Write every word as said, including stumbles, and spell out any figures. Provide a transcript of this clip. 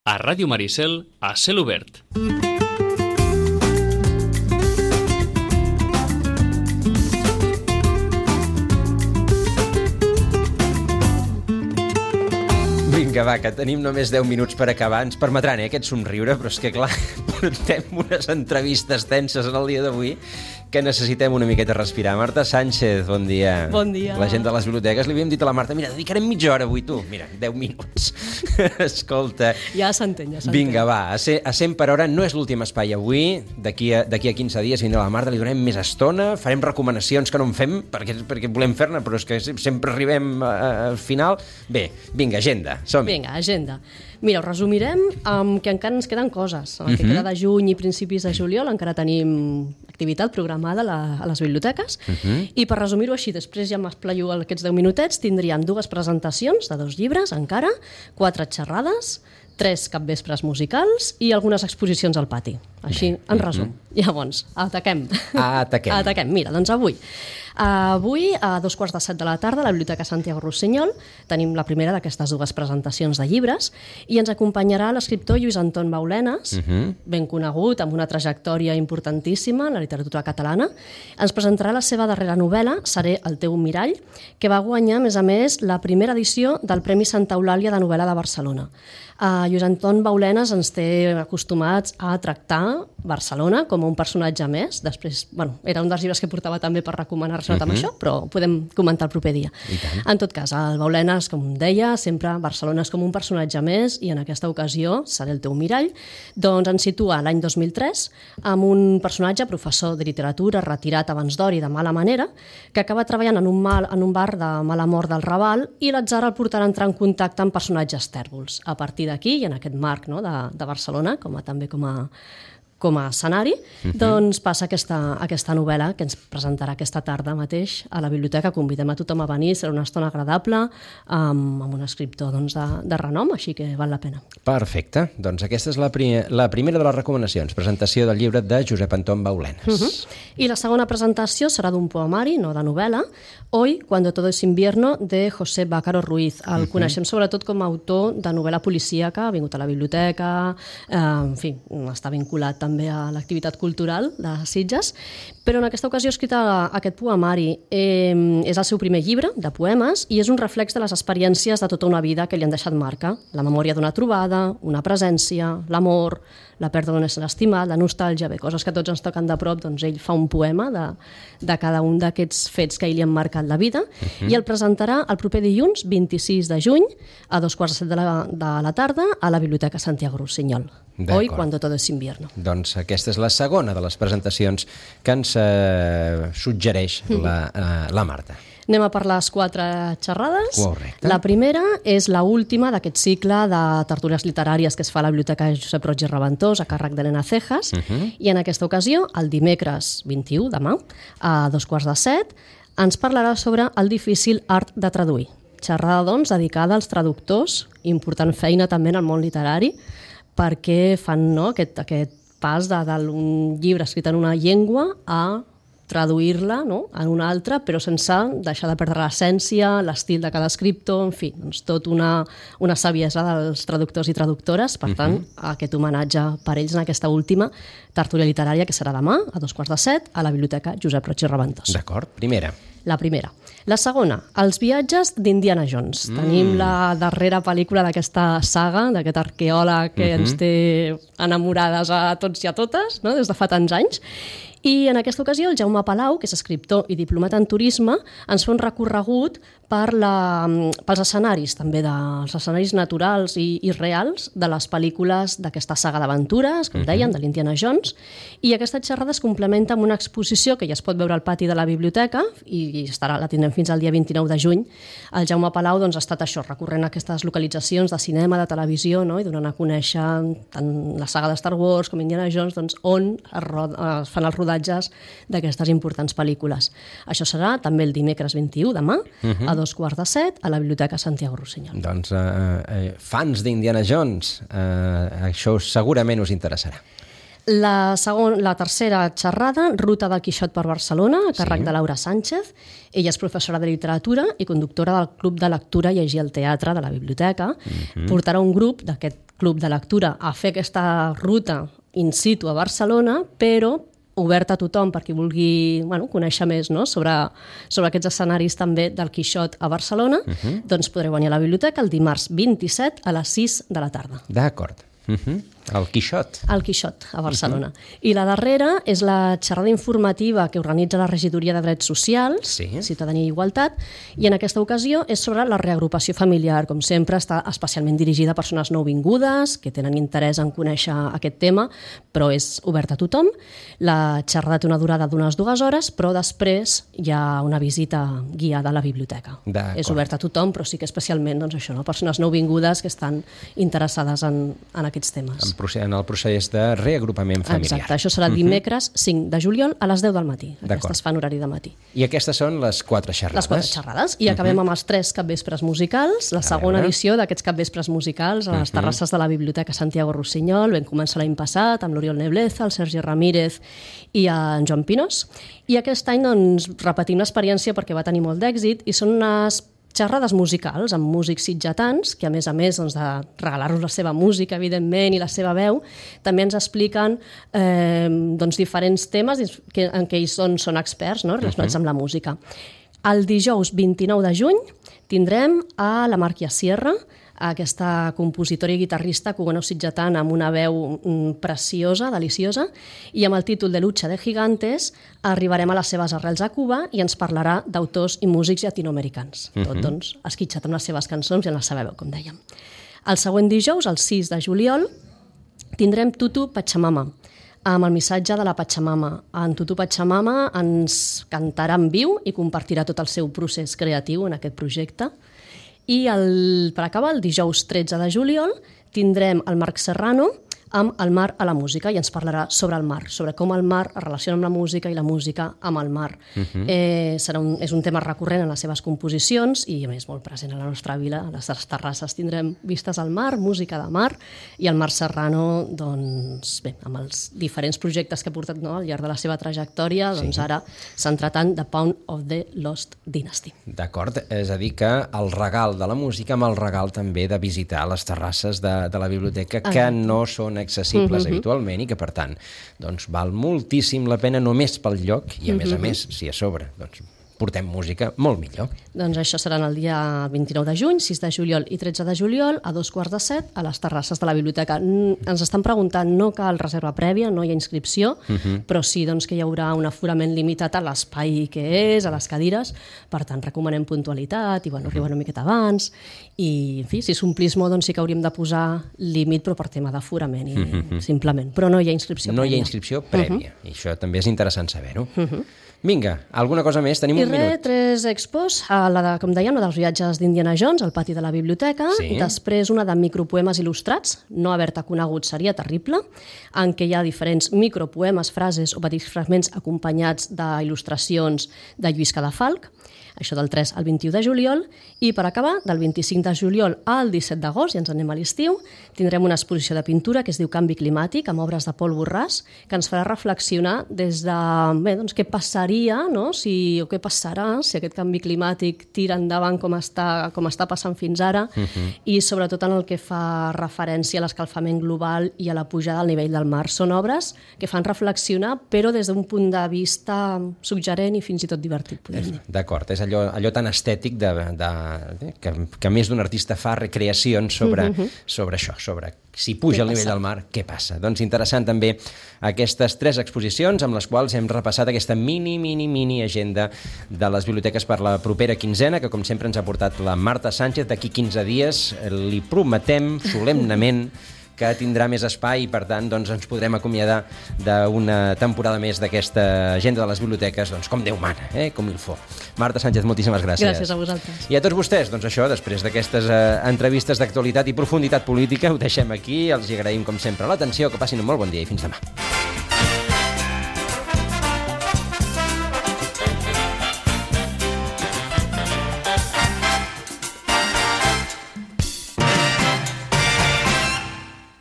A Ràdio Maricel, a cel obert. Vinga, va, que tenim només deu minuts per acabar. Ens permetran, eh, aquest somriure, però és que, clar, portem unes entrevistes tenses en el dia d'avui que necessitem una miqueta respirar. Marta Sánchez, bon dia. Bon dia. La gent de les biblioteques, li havíem dit a la Marta, mira, dedicarem mitja hora avui, tu. Mira, deu minuts. Escolta. Ja s'entén, ja s'entén. Vinga, va, a cent per hora no és l'últim espai avui. D'aquí a, d'aquí a quinze dies vindrà la Marta, li donem més estona, farem recomanacions que no en fem, perquè, perquè volem fer-ne, però és que sempre arribem al final. Bé, vinga, agenda, som-hi. Vinga, agenda. Mira, ho resumirem amb que encara ens queden coses. El que Uh-huh. queda de juny i principis de juliol encara tenim activitat programada a, la, a les biblioteques. Uh-huh. I per resumir-ho així, després ja m'esplaio aquests deu minutets, tindríem dues presentacions de dos llibres encara, quatre xerrades, tres capvespres musicals i algunes exposicions al pati. Així, en resum. Llavors, ataquem. Ataquem. Ataquem. Mira, doncs avui. Avui, a dos quarts de set de la tarda, a la Biblioteca Santiago Rossinyol, tenim la primera d'aquestes dues presentacions de llibres i ens acompanyarà l'escriptor Lluís Anton Baulenes, Uh-huh. ben conegut, amb una trajectòria importantíssima en la literatura catalana. Ens presentarà la seva darrera novel·la, Seré el teu mirall, que va guanyar, a més a més, la primera edició del Premi Santa Eulàlia de novel·la de Barcelona. Uh, Lluís Anton Baulenes ens té acostumats a tractar Barcelona com un personatge més. Després, bueno, era un dels llibres que portava també per recomanar relacionat amb Mhm. això, però ho podem comentar el proper dia. I tant. En tot cas, el Baulenes, com deia, sempre Barcelona és com un personatge més i en aquesta ocasió, Seré el teu mirall, doncs ens situa l'any dos mil tres amb un personatge, professor de literatura, retirat abans d'hora i de mala manera, que acaba treballant en un, mal, en un bar de mala mort del Raval i l'atzar el portarà a entrar en contacte amb personatges tèrbols. A partir d'aquí, i en aquest marc, no, de, de Barcelona, com a, també com a, com a escenari, uh-huh. doncs passa aquesta, aquesta novel·la que ens presentarà aquesta tarda mateix a la biblioteca. Convidem a tothom a venir, serà una estona agradable amb, amb un escriptor doncs, de, de renom, així que val la pena. Perfecte. Doncs aquesta és la, pri la primera de les recomanacions. Presentació del llibre de Josep Anton Baulenes. Uh-huh. I la segona presentació serà d'un poemari, no de novel·la, Hoy, cuando todo es invierno, de José Bácaro Ruiz. El uh-huh. coneixem sobretot com a autor de novel·la policíaca, ha vingut a la biblioteca, eh, en fi, està vinculat també a l'activitat cultural de Sitges, però en aquesta ocasió ha escrit aquest poemari. Eh, és el seu primer llibre de poemes i és un reflex de les experiències de tota una vida que li han deixat marca. La memòria d'una trobada, una presència, l'amor, la pèrdua d'un ésser estimat, la nostàlgia, bé, coses que tots ens toquen de prop, doncs ell fa un poema de, de cada un d'aquests fets que ell li han marcat la vida uh-huh. i el presentarà el proper dilluns, vint-i-sis de juny, a dos quarts de set de la, de la tarda, a la Biblioteca Santiago Rossinyol. Hoy, cuando todo es invierno. Doncs aquesta és la segona de les presentacions que ens eh, suggereix la, eh, la Marta. Anem a per les quatre xerrades. Correcte. La primera és la última d'aquest cicle de tertúlies literàries que es fa a la Biblioteca Josep Roig i Reventós, a càrrec d'Helena Cejas, uh-huh. i en aquesta ocasió, el dimecres vint-i-u, demà, a dos quarts de set, ens parlarà sobre el difícil art de traduir. Xerrada, doncs, dedicada als traductors, important feina també en el món literari, perquè fan no, aquest, aquest pas d'un llibre escrit en una llengua a traduir-la no, en una altra, però sense deixar de perdre l'essència, l'estil de cada escriptor, en fi, doncs tot una, una saviesa dels traductors i traductores. Per tant, uh-huh. aquest homenatge per ells en aquesta última tertúlia literària que serà demà, a dos quarts de set, a la Biblioteca Josep Roig i Reventós. D'acord, primera. La primera. La segona, Els viatges d'Indiana Jones. Mm. Tenim la darrera pel·lícula d'aquesta saga, d'aquest arqueòleg que uh-huh. ens té enamorades a tots i a totes, no? Des de fa tants anys. I en aquesta ocasió el Jaume Palau, que és escriptor i diplomat en turisme, ens fa un recorregut per la, pels escenaris, també dels escenaris naturals i, i reals de les pel·lícules d'aquesta saga d'aventures, com deien, de l'Indiana Jones, i aquesta xerrada es complementa amb una exposició que ja es pot veure al pati de la biblioteca i estarà, la tindrem fins al dia vint-i-nou de juny. El Jaume Palau doncs, ha estat això, recorrent aquestes localitzacions de cinema, de televisió, no? I donant a conèixer tant la saga de Star Wars com Indiana Jones, doncs, on es, rod... es fan els rodatges d'aquestes importants pel·lícules. Això serà també el dimecres vint-i-u, demà, uh-huh. a dos quarts de set, a la Biblioteca Santiago Rossinyol. Doncs eh, eh, fans d'Indiana Jones, eh, això segurament us interessarà. La, segon, la tercera xerrada, Ruta del Quixot per Barcelona, a càrrec sí. de Laura Sánchez. Ella és professora de literatura i conductora del Club de Lectura Llegir al Teatre de la Biblioteca. Mm-hmm. Portarà un grup d'aquest club de lectura a fer aquesta ruta in situ a Barcelona, però obert a tothom per qui vulgui bueno, conèixer més no? sobre, sobre aquests escenaris també del Quixot a Barcelona, uh-huh. doncs podreu venir a la biblioteca el dimarts vint-i-set a les sis de la tarda. D'acord. Uh-huh. El Quixot. El Quixot, a Barcelona. Uh-huh. I la darrera és la xerrada informativa que organitza la Regidoria de Drets Socials, sí. Ciutadania i Igualtat, i en aquesta ocasió és sobre la reagrupació familiar. Com sempre, està especialment dirigida a persones nouvingudes que tenen interès en conèixer aquest tema, però és obert a tothom. La xerrada té una durada d'unes dues hores, però després hi ha una visita guiada a la biblioteca. És obert a tothom, però sí que especialment doncs, això, no? Persones nouvingudes que estan interessades en, en aquests temes. En el procés de reagrupament familiar. Exacte, això serà dimecres cinc de juliol a les deu del matí. Aquestes fan horari de matí. I aquestes són les quatre xerrades? Les quatre xerrades. I acabem amb els tres capvespres musicals, la segona edició d'aquests capvespres musicals a les terrasses de la Biblioteca Santiago Rossinyol. Vam començar l'any passat amb l'Oriol Nebleza, el Sergi Ramírez i en Joan Pinós. I aquest any doncs, repetim l'experiència perquè va tenir molt d'èxit i són unes xerrades musicals amb músics sitgetans, que a més a més doncs, de regalar-nos la seva música, evidentment, i la seva veu, també ens expliquen eh, doncs, diferents temes que, en què ells són, són experts no? relacionats uh-huh. amb la música. El dijous vint-i-nou de juny tindrem a la Màrquia Sierra, aquesta compositora i guitarrista cubano-sitgetana amb una veu preciosa, deliciosa, i amb el títol de Lucha de Gigantes arribarem a les seves arrels a Cuba i ens parlarà d'autors i músics llatinoamericans. Uh-huh. Tot doncs, esquitxat amb les seves cançons i en la seva veu, com dèiem. El següent dijous, el sis de juliol, tindrem Tutu Pachamama, amb el missatge de la Pachamama. En Tutu Pachamama ens cantarà en viu i compartirà tot el seu procés creatiu en aquest projecte. I el, per acabar, el dijous tretze de juliol, tindrem el Marc Serrano amb el mar a la música i ens parlarà sobre el mar, sobre com el mar es relaciona amb la música i la música amb el mar. Uh-huh. eh, serà un, és un tema recurrent en les seves composicions i a més molt present a la nostra vila. A les terrasses tindrem vistes al mar, música de mar, i el Marc Serrano, doncs, bé, amb els diferents projectes que ha portat no, al llarg de la seva trajectòria, doncs sí. Ara s'ha entrat en The Pound of the Lost Dynasty. D'acord, és a dir que el regal de la música amb el regal també de visitar les terrasses de, de la biblioteca que Exacte. No són accessibles uh-huh. habitualment i que, per tant, doncs, val moltíssim la pena només pel lloc i, a uh-huh. més a més, si a sobre doncs, portem música, molt millor. Doncs això serà el dia vint-i-nou de juny, sis de juliol i tretze de juliol, a dos quarts de set, a les terrasses de la biblioteca. Ens estan preguntant, no cal reserva prèvia, no hi ha inscripció, uh-huh. però sí doncs, que hi haurà un aforament limitat a l'espai que és, a les cadires, per tant, recomanem puntualitat i bueno, arribar una miqueta abans, i en fi, si s'omplís molt, doncs sí que hauríem de posar límit, però per tema d'aforament, i uh-huh. simplement. Però no hi ha inscripció no prèvia. No hi ha inscripció prèvia, uh-huh. i això també és interessant saber-ho. Uh-huh. Vinga, alguna cosa més? Tenim I un re, minut. tres expos, la de, com dèiem, la dels viatges d'Indiana Jones al pati de la biblioteca, sí. Després una de micropoemes il·lustrats, no haver-te conegut seria terrible, en què hi ha diferents micropoemes, frases o petits fragments acompanyats d'il·lustracions de Lluís Cadafalch, això del tres al vint-i-u de juliol, i per acabar, del vint-i-cinc de juliol al disset d'agost, i ens anem a l'estiu, tindrem una exposició de pintura que es diu Canvi climàtic, amb obres de Pol Borràs, que ens farà reflexionar des de bé, doncs, què passaria, no? si, o què passarà si aquest canvi climàtic tira endavant com està, com està passant fins ara, uh-huh. i sobretot en el que fa referència a l'escalfament global i a la pujada del nivell del mar. Són obres que fan reflexionar, però des d'un punt de vista suggerent i fins i tot divertit, podem dir. D'acord, és allò, allò tan estètic de, de, que, que més d'un artista fa recreacions sobre, uh-huh. sobre això, sobre si puja el nivell del mar, què passa? Doncs interessant també aquestes tres exposicions amb les quals hem repassat aquesta mini, mini, mini agenda de les biblioteques per la propera quinzena, que com sempre ens ha portat la Marta Sánchez. D'aquí quinze dies li prometem solemnament que tindrà més espai i, per tant, doncs, ens podrem acomiadar d'una temporada més d'aquesta agenda de les biblioteques, doncs, com Déu mana, eh? com il faut. Marta Sánchez, moltíssimes gràcies. Gràcies a vosaltres. I a tots vostès, doncs això, després d'aquestes eh, entrevistes d'actualitat i profunditat política, ho deixem aquí, els hi agraïm, com sempre, l'atenció, que passin un molt bon dia i fins demà.